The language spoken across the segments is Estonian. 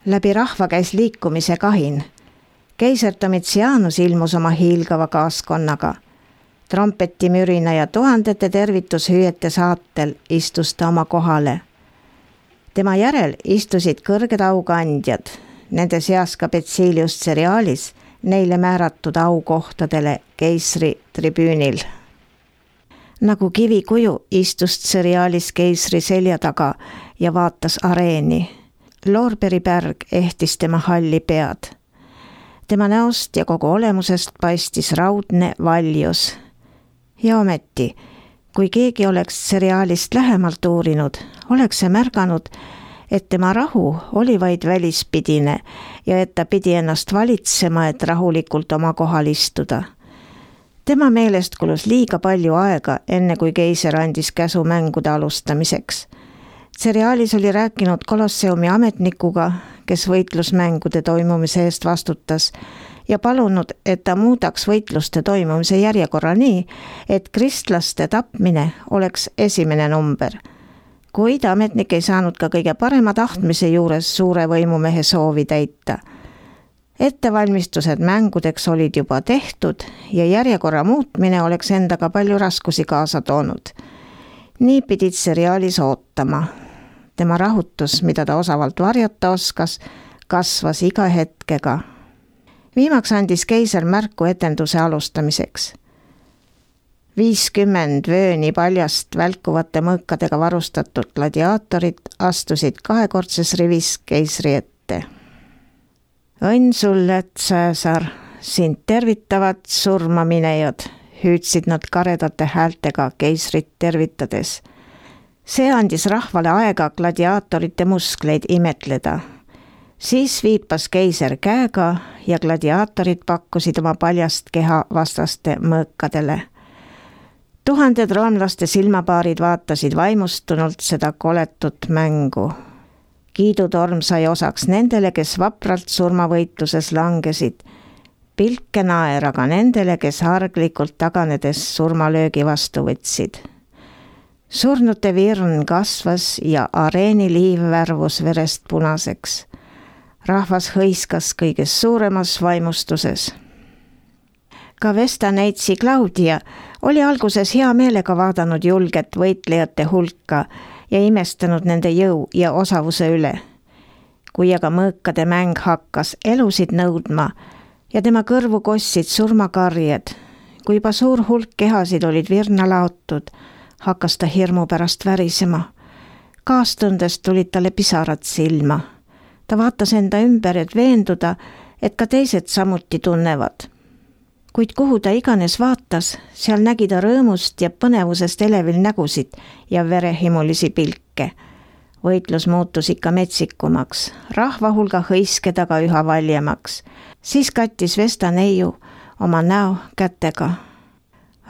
Läbi rahva käis liikumise kahin. Keiser Domitianus ilmus oma hiilgava kaaskonnaga. Trompetimürina ja tuhandete tervitushüüete saatel istus ta oma kohale. Tema järel istusid kõrged aukandjad, nende seas ka Betsilius Cerealis, neile määratud aukohtadele keisri tribüünil. Nagu kivikuju istus Cerealis keisri selja taga ja vaatas areeni. Loorberiberg ehtis tema halli pead. Tema näost ja kogu olemusest paistis raudne valjus. Ja ometi, kui keegi oleks Cerealist lähemalt uurinud, oleks see märganud, et tema rahu oli vaid välispidine ja et ta pidi ennast valitsema, et rahulikult oma kohal istuda. Tema meelest kulus liiga palju aega, enne kui keiser andis käsu mängude alustamiseks. Cerealis oli rääkinud Kolosseumi ametnikuga, kes võitlusmängude toimumise eest vastutas, ja palunud, et ta muudaks võitluste toimumise järjekorra nii, et kristlaste tapmine oleks esimene number. Kuid ametnik ei saanud ka kõige parema tahtmise juures suure võimumehe soovi täita. Ettevalmistused mängudeks olid juba tehtud ja järjekorra muutmine oleks endaga palju raskusi kaasa toonud. Nii pidid Cerealis ootama. Tema rahutus, mida ta osavalt varjata oskas, kasvas iga hetkega. Viimaks andis keiser märku etenduse alustamiseks. 50 vööni paljast välkuvate mõõkadega varustatud gladiaatorid astusid kahekordses rivis keisri ette. Õnn sulle, Cäsar, sind tervitavad surmaminejad, hüüdsid nad karedate häältega keisrit tervitades. See andis rahvale aega gladiaatorite muskleid imetleda. Siis viipas keiser käega ja gladiaatorid pakkusid oma paljast keha vastaste mõõkadele. Tuhanded roomlaste silmapaarid vaatasid vaimustunult seda koletut mängu. Kiidutorm sai osaks nendele, kes vapralt surmavõitluses langesid. Pilke naer aga nendele, kes harglikult taganedes surmalöögi vastu võtsid. Surnute virn kasvas ja areeni liiv värvus verest punaseks. Rahvas hõiskas kõiges suuremas vaimustuses. Ka Vestaneitsi Claudia oli alguses hea meelega vaadanud julget võitlejate hulka ja imestanud nende jõu ja osavuse üle. Kui aga mõõkade mäng hakkas elusid nõudma ja tema kõrvu kossid surmakarjed, kui juba suur hulk kehasid olid virna laotud, hakkas ta hirmu pärast värisema. Kaastundest tulid talle pisarad silma. Ta vaatas enda ümber, et veenduda, et ka teised samuti tunnevad. Kuid kuhu ta iganes vaatas, seal nägi ta rõõmust ja põnevusest elevil nägusid ja verehimulisi pilke. Võitlus muutus ikka metsikumaks, rahva hulga hõiske taga üha valjemaks. Siis kattis Vestaneiu oma näo kätega.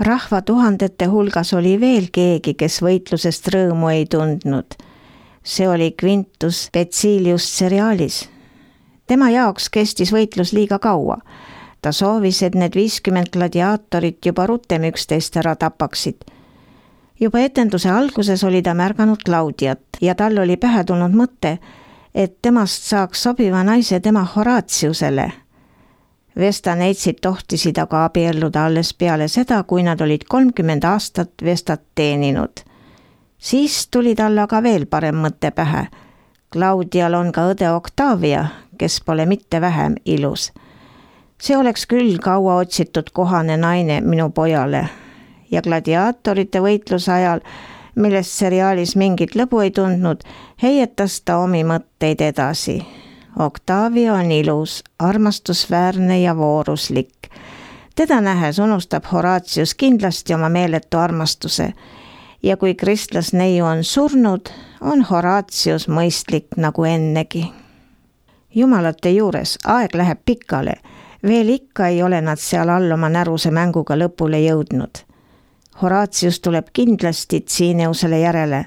Rahva tuhandete hulgas oli veel keegi, kes võitlusest rõõmu ei tundnud. See oli Quintus Betsilius Cerealis. Tema jaoks kestis võitlus liiga kaua. Ta soovis, et need 50 gladiaatorit juba rutem üksteist ära tapaksid. Juba etenduse alguses oli ta märganud Claudiat ja tal oli pähe tulnud mõte, et temast saaks sobiva naise tema Horatiusele. Vestaneitsid tohtisid aga abielluda alles peale seda, kui nad olid 30 aastat Vestat teeninud. Siis tuli talle aga veel parem mõte pähe. Claudial on ka õde Octavia, kes pole mitte vähem ilus. See oleks küll kaua otsitud kohane naine minu pojale. Ja gladiaatorite võitluse ajal, millest Cerealis mingit lõbu ei tundnud, heietas ta omi mõtteid edasi. Octavia on ilus, armastusväärne ja vooruslik. Teda nähes unustab Horatius kindlasti oma meeletu armastuse. Ja kui kristlasneiu on surnud, on Horatius mõistlik nagu ennegi. Jumalate juures aeg läheb pikale. Veel ikka ei ole nad seal all oma näruse mänguga lõpule jõudnud. Horatius tuleb kindlasti Tsineusele järele.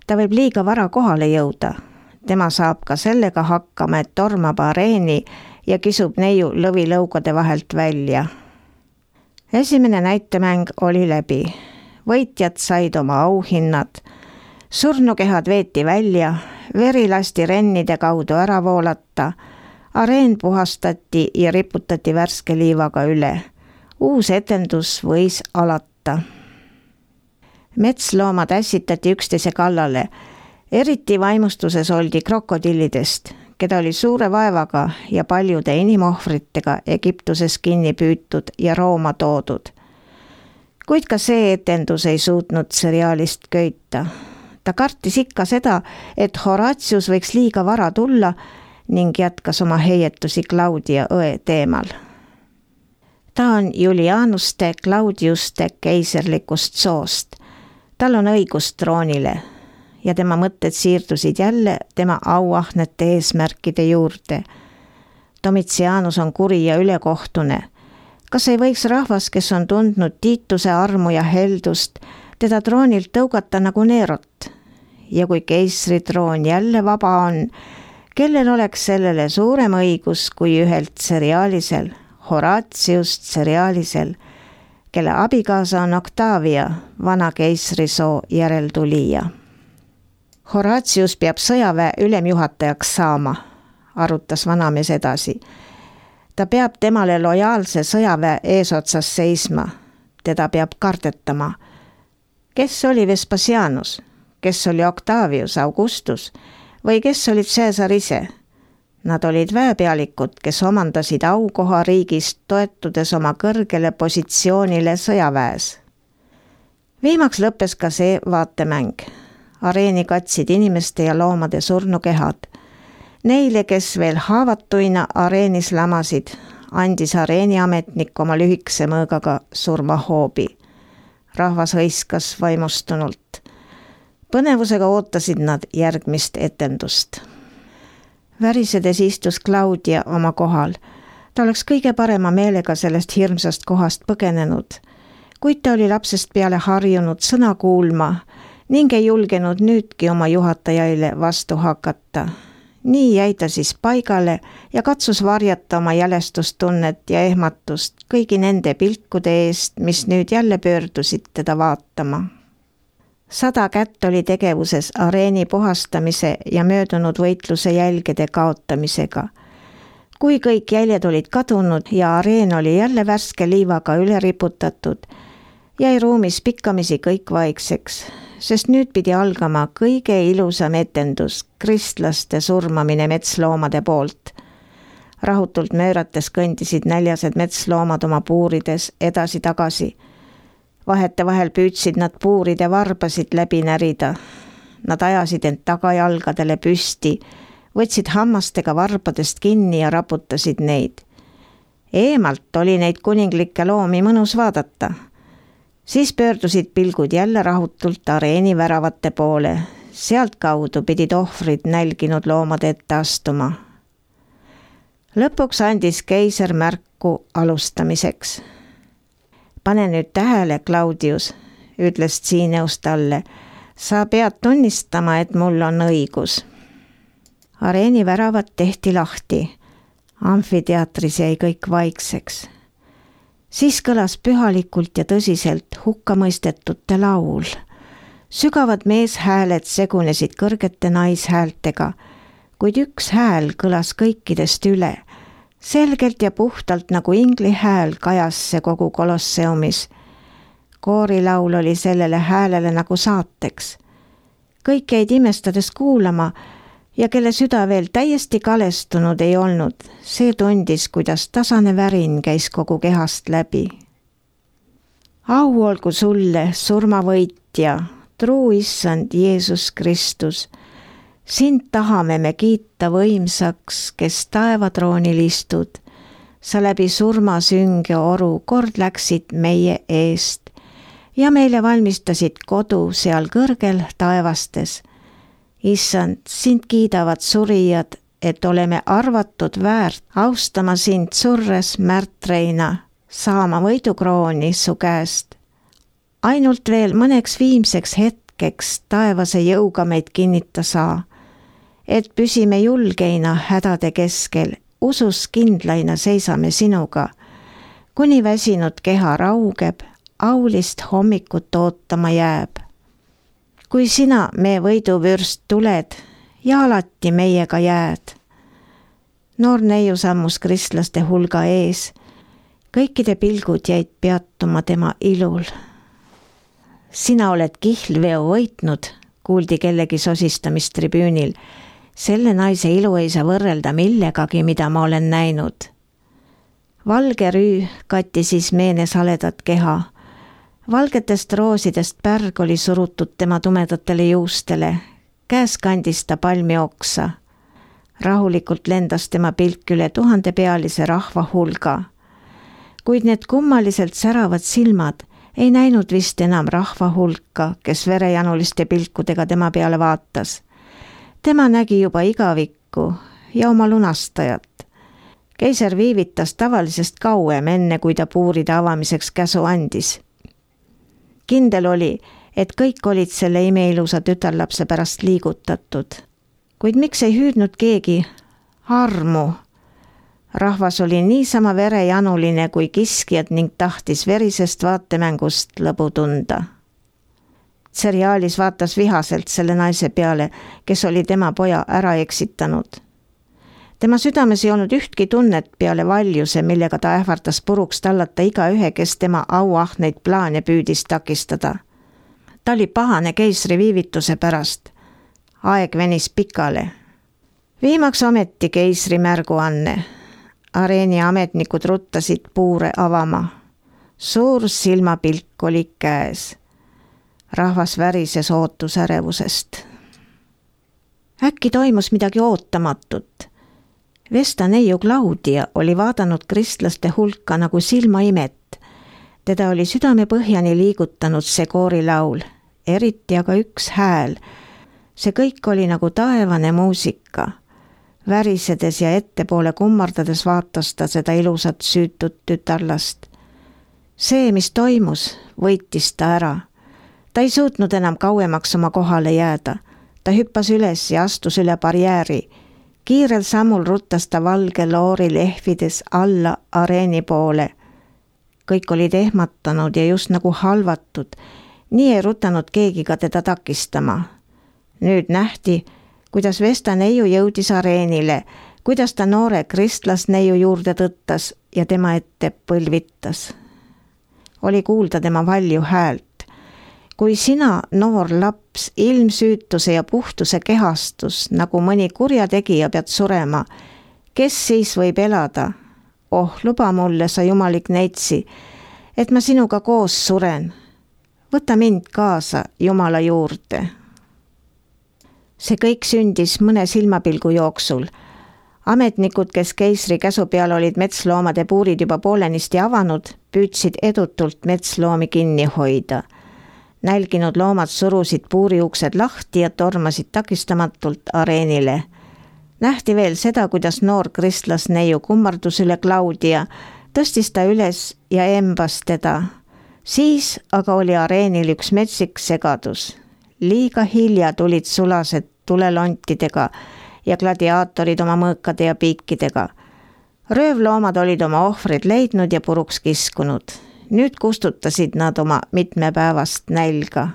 Ta võib liiga vara kohale jõuda. Tema saab ka sellega hakkama, et tormab areeni ja kisub neiu lõvilõugade vahelt välja. Esimene näitemäng oli läbi. Võitjad said oma auhinnad. Surnukehad veeti välja, veri lasti rennide kaudu ära voolata, areen puhastati ja riputati värske liivaga üle. Uus etendus võis alata. Metsloomad ässitati üksteise kallale. Eriti vaimustuses oldi krokodillidest, keda oli suure vaevaga ja paljude inimohvritega Egiptuses kinni püütud ja Rooma toodud. Kuid ka see etendus ei suutnud seriaalist köita. Ta kartis ikka seda, et Horatius võiks liiga vara tulla ning jätkas oma heietusi Claudia õe teemal. Ta on Julianuste Claudiuste keiserlikust soost. Tal on õigus troonile ja tema mõtted siirdusid jälle tema auahnete eesmärkide juurde. Domitianus on kuri ja ülekohtune. Kas ei võiks rahvas, kes on tundnud Tiituse armu ja heldust, teda troonilt tõugata nagu Neerot? Ja kui keisritroon jälle vaba on, kellel oleks sellele suurem õigus kui ühelt seriaalisel, Horatiust seriaalisel, kelle abikaasa on Octavia, vana keisrisoo järeltulija. Horatius peab sõjaväe ülemjuhatajaks saama, arutas vanamees edasi. Ta peab temale lojaalse sõjaväe eesotsas seisma. Teda peab kardetama. Kes oli Vespasianus? Kes oli Octavius Augustus? Või kes olid Caesar ise? Nad olid väepealikud, kes omandasid aukoha riigist toetudes oma kõrgele positsioonile sõjaväes. Viimaks lõppes ka see vaatemäng. Areeni katsid inimeste ja loomade surnukehad. Neile, kes veel haavatuina areenis lamasid, andis areeniametnik oma lühikese mõõgaga surmahoobi. Rahvas hõiskas vaimustunult. Põnevusega ootasid nad järgmist etendust. Värisedes istus Claudia oma kohal. Ta oleks kõige parema meelega sellest hirmsast kohast põgenenud, kuid ta oli lapsest peale harjunud sõna kuulma ning ei julgenud nüüdki oma juhatajaile vastu hakata. Nii jäi ta siis paigale ja katsus varjata oma jälestustunnet ja ehmatust kõigi nende pilkude eest, mis nüüd jälle pöördusid teda vaatama. 100 kätt oli tegevuses areeni puhastamise ja möödunud võitluse jälgede kaotamisega. Kui kõik jäljed olid kadunud ja areen oli jälle värske liivaga üle riputatud, jäi ruumis pikkamisi kõik vaikseks, sest nüüd pidi algama kõige ilusam etendus, kristlaste surmamine metsloomade poolt. Rahutult möörates kõndisid näljased metsloomad oma puurides edasi-tagasi. Vahetevahel püüdsid nad puuride varbasid läbi närida. Nad ajasid end tagajalgadele püsti, võtsid hammastega varbadest kinni ja raputasid neid. Eemalt oli neid kuninglikke loomi mõnus vaadata. Siis pöördusid pilgud jälle rahutult areeni väravate poole. Sealt kaudu pidid ohvrid nälginud loomade ette astuma. Lõpuks andis keiser märku alustamiseks. Pane nüüd tähele, Claudius, ütles Tsiineus talle. Sa pead tunnistama, et mul on õigus. Areeni väravad tehti lahti. Amfiteatris jäi kõik vaikseks. Siis kõlas pühalikult ja tõsiselt hukkamõistetute laul. Sügavad meeshääled segunesid kõrgete naishäältega, kuid üks hääl kõlas kõikidest üle. Selgelt ja puhtalt nagu ingli hääl kajas see kogu kolosseumis. Koorilaul oli sellele häälele nagu saateks. Kõik jäid imestades kuulama ja kelle süda veel täiesti kalestunud ei olnud, see tundis, kuidas tasane värin käis kogu kehast läbi. Au olgu sulle, surmavõitja, truu issand Jeesus Kristus. Sind tahame me kiita võimsaks, kes taevatroonil istud. Sa läbi surmasünge oru kord läksid meie eest ja meile valmistasid kodu seal kõrgel taevastes. Issand, sind kiidavad surijad, et oleme arvatud väärt austama sind surres märtreina, saama võidukrooni su käest. Ainult veel mõneks viimseks hetkeks taevase jõuga meid kinnita saa, et püsime julgeina hädade keskel, usus kindlaina seisame sinuga, kuni väsinud keha raugeb, aulist hommikut ootama jääb. kui sina, me võiduvürst, tuled ja alati meiega jääd. Noor neiu sammus kristlaste hulga ees. Kõikide pilgud jäid peatuma tema ilul. Sina oled kihlveo võitnud, kuuldi kellegi sosistamist tribüünil. Selle naise ilu ei saa võrrelda millegagi, mida ma olen näinud. Valge rüü katti siis meene saledat keha. Valgetest roosidest pärg oli surutud tema tumedatele juustele. Käes kandis ta palmi oksa. Rahulikult lendas tema pilk üle 1000-pealise rahva hulga. Kuid need kummaliselt säravad silmad ei näinud vist enam rahva hulka, kes verejanuliste pilkudega tema peale vaatas. Tema nägi juba igavikku ja oma lunastajat. Keiser viivitas tavalisest kauem enne, kui ta puuride avamiseks käsu andis. Kindel oli, et kõik olid selle imeilusa tütarlapse pärast liigutatud. Kuid miks ei hüüdnud keegi armu? Rahvas oli niisama verejanuline kui kiskjad ning tahtis verisest vaatemängust lõbu tunda. Seriaalis vaatas vihaselt selle naise peale, kes oli tema poja ära eksitanud. Tema südames ei olnud ühtki tunnet peale valjuse, millega ta ähvardas puruks tallata igaühe, kes tema auahneid plaane püüdis takistada. Ta oli pahane keisri viivituse pärast. Aeg venis pikale. Viimaks ometi keisri märguanne. Areeni ametnikud ruttasid puure avama. Suur silmapilk oli käes. Rahvas värises ootusärevusest. Äkki toimus midagi ootamatut. Vesta neiu Claudia oli vaadanud kristlaste hulka nagu silmaimet. Teda oli südamepõhjani liigutanud see koorilaul, eriti aga üks hääl. See kõik oli nagu taevane muusika. Värisedes ja ettepoole kummardades vaatas ta seda ilusat süütut tütarlast. See, mis toimus, võitis ta ära. Ta ei suutnud enam kauemaks oma kohale jääda. Ta hüppas üles ja astus üle barjääri. Kiirel sammul ruttas ta valge loori lehvides alla areeni poole. Kõik olid ehmatanud ja just nagu halvatud. Nii ei rutanud keegi ka teda takistama. Nüüd nähti, kuidas Vesta neiu jõudis areenile, kuidas ta noore kristlasneiu juurde tõttas ja tema ette põlvitas. Oli kuulda tema valju häält. Kui sina, noor laps, ilmsüütuse ja puhtuse kehastus, nagu mõni kurjategija pead surema, kes siis võib elada? Oh, luba mulle, sa jumalik neitsi, et ma sinuga koos suren. Võta mind kaasa Jumala juurde. See kõik sündis mõne silmapilgu jooksul. Ametnikud, kes keisri käsu peal olid metsloomade puurid juba poolenisti avanud, püüdsid edutult metsloomi kinni hoida. Nälginud loomad surusid puuriuksed lahti ja tormasid takistamatult areenile. Nähti veel seda, kuidas noor kristlasneiu kummardus üle Claudia, tõstis ta üles ja embas teda. Siis aga oli areenil üks metsik segadus. Liiga hilja tulid sulased tulelontidega ja gladiaatorid oma mõõkade ja piikidega. Röövloomad olid oma ohvrid leidnud ja puruks kiskunud. Nüüd kustutasid nad oma mitmepäevast nälga.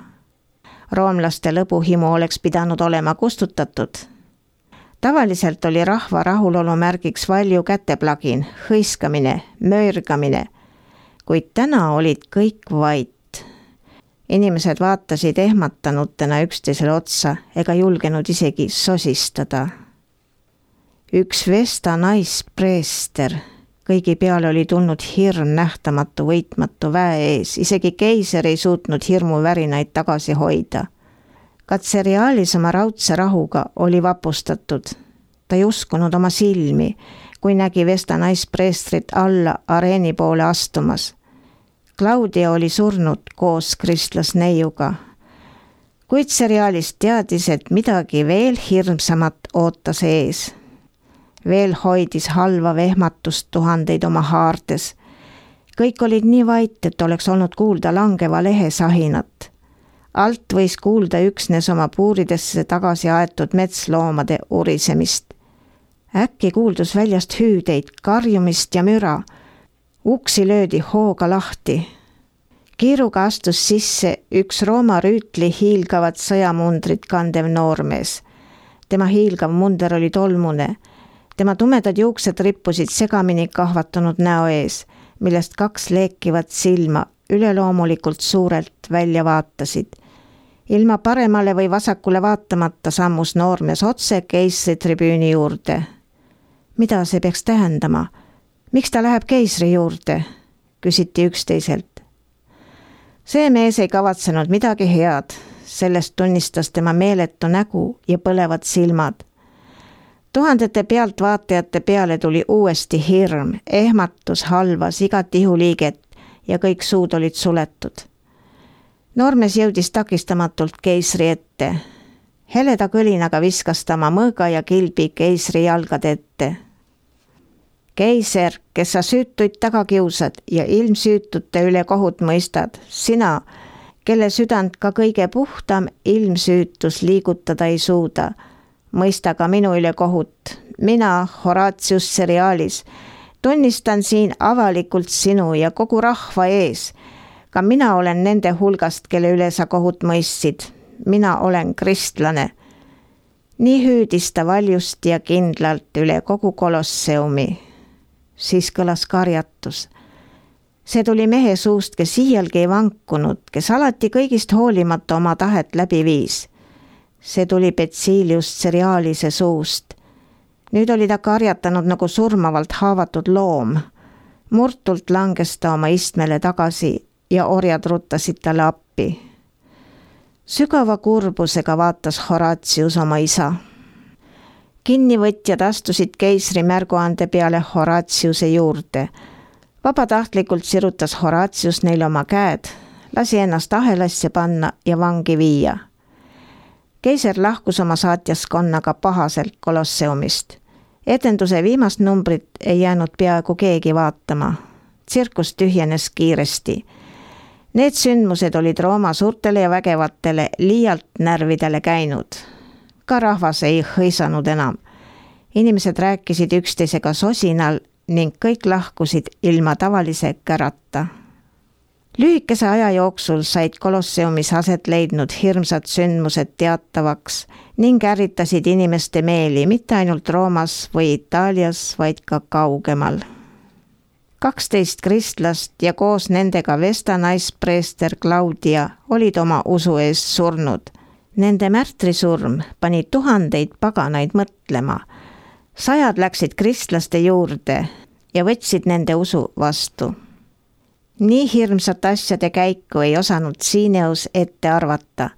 Roomlaste lõbuhimu oleks pidanud olema kustutatud. Tavaliselt oli rahva rahulolu märgiks valju käteplagin, hõiskamine, möörgamine, kuid täna olid kõik vait. Inimesed vaatasid ehmatanutena üksteisele otsa ega julgenud isegi sosistada. Üks Vesta naispreester, kõigi peale oli tulnud hirm nähtamatu võitmatu väe ees, isegi keiser ei suutnud hirmuvärinaid tagasi hoida. Katseriaalis oma raudse rahuga oli vapustatud. Ta ei uskunud oma silmi, kui nägi Vesta naispreestrit alla areeni poole astumas. Claudia oli surnud koos kristlasneiuga. Kuid seriaalist teadis, et midagi veel hirmsamat ootas ees. Veel hoidis halva vehmatust tuhandeid oma haartes. Kõik olid nii vait, et oleks olnud kuulda langeva lehe sahinat. Alt võis kuulda üksnes oma puuridesse tagasi aetud metsloomade urisemist. Äkki kuuldus väljast hüüdeid, karjumist ja müra. Uksi löödi hooga lahti. Kiiruga astus sisse üks Rooma rüütli hiilgavat sõjamundrit kandev noormees. Tema hiilgav munder oli tolmune. Tema tumedad juuksed rippusid segamini kahvatunud näo ees, millest kaks leekivat silma üleloomulikult suurelt välja vaatasid. Ilma paremale või vasakule vaatamata sammus noormees otse keisri tribüüni juurde. Mida see peaks tähendama? Miks ta läheb keisri juurde? Küsiti üksteiselt. See mees ei kavatsenud midagi head, sellest tunnistas tema meeletu nägu ja põlevad silmad. Tuhandete pealtvaatajate peale tuli uuesti hirm, ehmatus halvas igat ihuliiget ja kõik suud olid suletud. Noormees jõudis takistamatult keisri ette. Heleda kõlinaga viskas ta oma mõõga ja kilbi keisri jalgade ette. Keiser, kes sa süütuid taga kiusad ja ilmsüütute üle kohut mõistad, sina, kelle südant ka kõige puhtam ilmsüütus liigutada ei suuda, mõista ka minu üle kohut. Mina, Horatius Cerealis, tunnistan siin avalikult sinu ja kogu rahva ees. Ka mina olen nende hulgast, kelle üle sa kohut mõistsid. Mina olen kristlane. Nii hüüdis ta valjusti ja kindlalt üle kogu kolosseumi. Siis kõlas karjatus. See tuli mehe suust, kes iialgi ei vankunud, kes alati kõigist hoolimata oma tahet läbi viis. See tuli Betsilius Cerealise suust. Nüüd oli ta karjatanud nagu surmavalt haavatud loom. Murtult langes ta oma istmele tagasi ja orjad ruttasid talle appi. Sügava kurbusega vaatas Horatius oma isa. Kinnivõtjad astusid keisri märguande peale Horatiuse juurde. Vabatahtlikult sirutas Horatius neile oma käed, lasi ennast ahelasse panna ja vangi viia. Keiser lahkus oma saatjaskonnaga pahaselt kolosseumist. Etenduse viimast numbrit ei jäänud peaaegu keegi vaatama. Tsirkus tühjenes kiiresti. Need sündmused olid Rooma suurtele ja vägevatele liialt närvidele käinud. Ka rahvas ei hõisanud enam. Inimesed rääkisid üksteisega sosinal ning kõik lahkusid ilma tavalise kärata. Lühikese aja jooksul said kolosseumis aset leidnud hirmsad sündmused teatavaks ning ärritasid inimeste meeli mitte ainult Roomas või Itaalias, vaid ka kaugemal. 12 kristlast ja koos nendega Vesta naispreester Claudia olid oma usu ees surnud. Nende märtrisurm pani tuhandeid paganaid mõtlema. 100 läksid kristlaste juurde ja võtsid nende usu vastu. Nii hirmsat asjade käiku ei osanud Cineus ette arvata.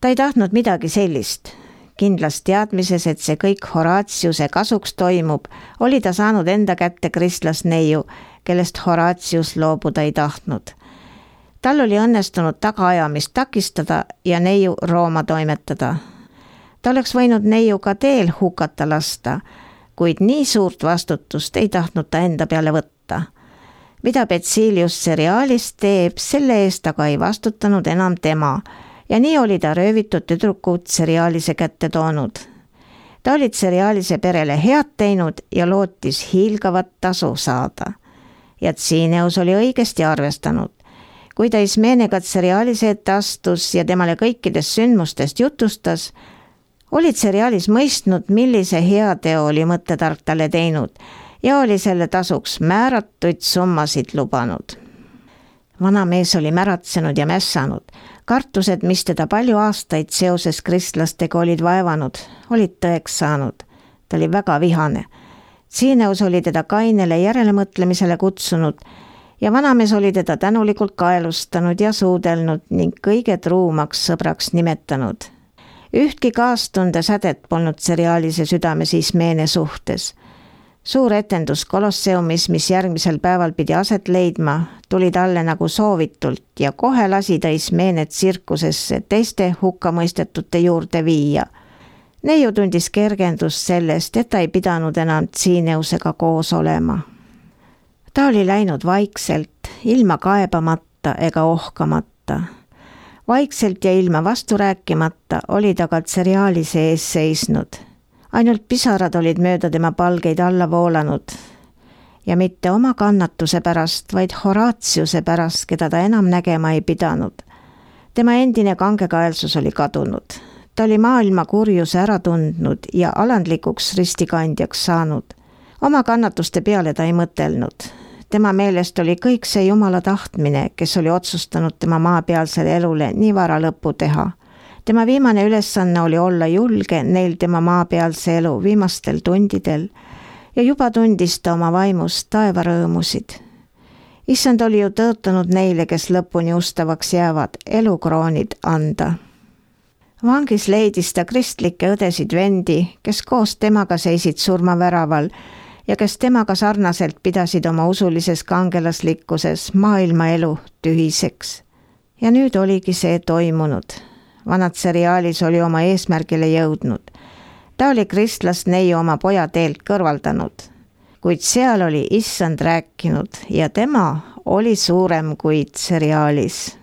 Ta ei tahtnud midagi sellist. Kindlas teadmises, et see kõik Horatiuse kasuks toimub, oli ta saanud enda kätte kristlasneiu, kellest Horatius loobuda ei tahtnud. Tal oli õnnestunud tagaajamist takistada ja neiu Rooma toimetada. Ta oleks võinud neiu ka teel hukata lasta, kuid nii suurt vastutust ei tahtnud ta enda peale võtta. Mida Betsilius Cerealis teeb, selle eest aga ei vastutanud enam tema ja nii oli ta röövitud tüdrukud Cerealise kätte toonud. Ta oli Cerealise perele head teinud ja lootis hiilgavat tasu saada. Ja Cineus oli õigesti arvestanud. Kui ta Ismeenega Cerealise ette astus ja temale kõikidest sündmustest jutustas, oli Cerealis mõistnud, millise heateo oli mõttetark talle teinud ja oli selle tasuks määratuid summasid lubanud. Vana mees oli märatsenud ja mässanud. Kartused, mis teda palju aastaid seoses kristlastega olid vaevanud, olid tõeks saanud. Ta oli väga vihane. Cineus oli teda kainele järelemõtlemisele kutsunud ja vanamees oli teda tänulikult kaelustanud ja suudelnud ning kõige truumaks sõbraks nimetanud. Ühtki kaastunde sädet polnud Cerealise südames Ismeene suhtes. Suur etendus kolosseumis, mis järgmisel päeval pidi aset leidma, tuli talle nagu soovitult ja kohe lasi ta Ismeene tsirkusesse teiste hukkamõistetute juurde viia. Neiu tundis kergendust sellest, et ta ei pidanud enam Cineusega koos olema. Ta oli läinud vaikselt, ilma kaebamata ega ohkamata. Vaikselt ja ilma vastu rääkimata oli ta ka Cerealise ees seisnud. Ainult pisarad olid mööda tema palgeid alla voolanud. ja mitte oma kannatuse pärast, vaid Horatiuse pärast, keda ta enam nägema ei pidanud. Tema endine kangekaelsus oli kadunud. Ta oli maailma kurjuse ära tundnud ja alandlikuks ristikandjaks saanud. Oma kannatuste peale ta ei mõtelnud. Tema meelest oli kõik see Jumala tahtmine, kes oli otsustanud tema maapealsele elule nii vara lõppu teha. Tema viimane ülesanne oli olla julge neil tema maapealse elu viimastel tundidel ja juba tundis ta oma vaimust taevarõõmusid. Issand oli ju tõotanud neile, kes lõpuni ustavaks jäävad, elukroonid anda. Vangis leidis ta kristlikke õdesid vendi, kes koos temaga seisid surmaväraval ja kes temaga sarnaselt pidasid oma usulises kangelaslikkuses maailmaelu tühiseks. Ja nüüd oligi see toimunud. Vanatseriaalis oli oma eesmärgile jõudnud. Ta oli kristlast neiu oma poja teelt kõrvaldanud, kuid seal oli Issand rääkinud ja tema oli suurem kui seriaalis.